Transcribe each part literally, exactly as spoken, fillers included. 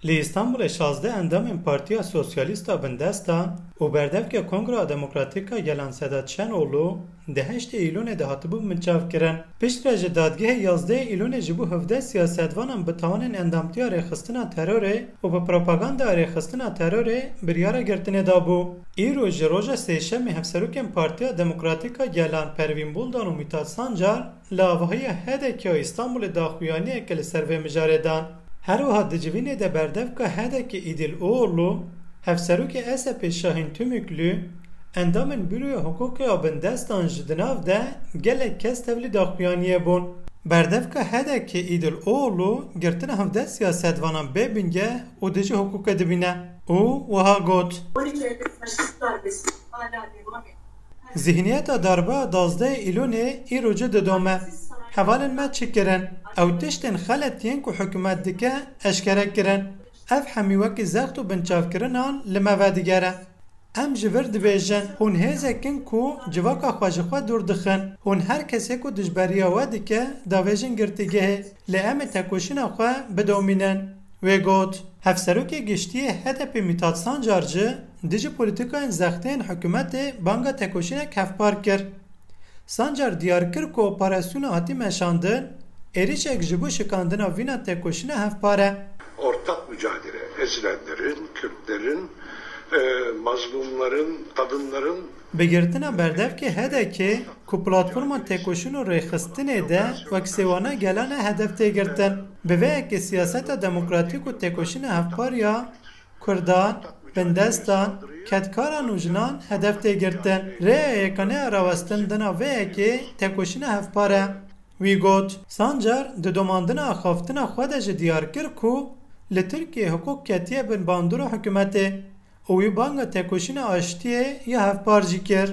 Li Îstanbulê şazdeh endamên Partiya Sosyalîst a Bindestan û berdevke Kongra Demokratîk a Gelan Sedat Şenoglu di heştê Îlonê de hatibûn binçavkirin. Piştre ji dadgehê yazdehê Îlonê ji bo hevdeh siyasetvanan bi tawanên endamtiya rêxistina terorê û bi propagandaya rêxistina terorê biryara girtinê dabû. Îro ji roja sêşemê Hevserokên Partiya Demokratîk a Gelan Pervîn Buldan û Mithat Sancar li avahiya H D K a Îstanbulê daxuyaniyeke li ser vê mijarê dan. Her wiha di civînê de berdevka H D K Îdil Oğurlu, hevserokê S H P Şahîn Tümüklü, endamên Büroya Hiqûqê a Bindestan ji di nav de gelek kes tevlî daxuyaniyê bûn. Berdevka H D K Îdil Oğurlu girtina hevdeh siyasetvanan bê bingeh û dijî hiqûqê dibîne û wiha got: Zihniyeta darbe a dazdehê Îlonê îro ci didome. Hevalên me çi kirin? Ew tiştên xelet yên ku hikûmet dike eşkere kirin. Ev hemî wekî zext û binçavkirinan li me vedigere. Em ji vir dibêjin, hûn hêzek in ku civaka xwe ji xwe dûr dixin. Hûn her kesê ku dijberiya we dike, davêjin girtîgehê. Lê em ê tekoşîna xwe bidomînin. Wê got, Hevserokê Giştî yê H D P Mithat Sancar jî dijî polîtîkayên zextê yên hikûmetê banga tekoşînek hevpar kir. Sancar diyar kir ku operasyona hatî meşandin, êrişek ji bo şikandina vîna tekoşîna hevpar e. Ortak mücadele, ezilenlerin, Kürtlerin, e, mazlumların, kadınların Bi girtina berdevkê H D K ku platforma tekoşîn û rêxistinê de wek sêwana gelan e hedef tê girtin. Bi vê yekê siyaseta demokratîk û tekoşîna hevpar ya Kurdan, bindestan, kedkaran û jinan hedef tê girtin. Rêya yekane ya rawestin dina vê yekê tekoşîna hevpar e. Wî got, Sancar di domandina axaftina xwe de jî diyar kir ku li Tirkiyeyê hiqûq ketiye bin bandora hikûmetê û wî banga tekoşîna aştiyê ya hevpar jî kir.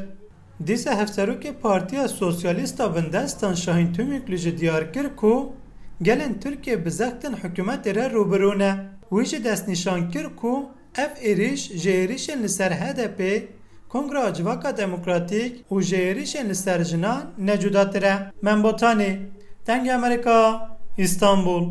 Dîsa hevserokê Partiya Sosyalîst a Bindestan Şahîn Tümüklü jî diyar kir ku gelên Tirkiyê bi zextên hikûmetê re rûbirû ne. Wî jî destnîşan kir ku ev êrîş ji êrîşên li ser H D P, Kongra Civaka Demokratîk û ji êrîşên li ser jinan ne cudatir e. Mem Botanî, Dengê Amerîka, Îstanbul.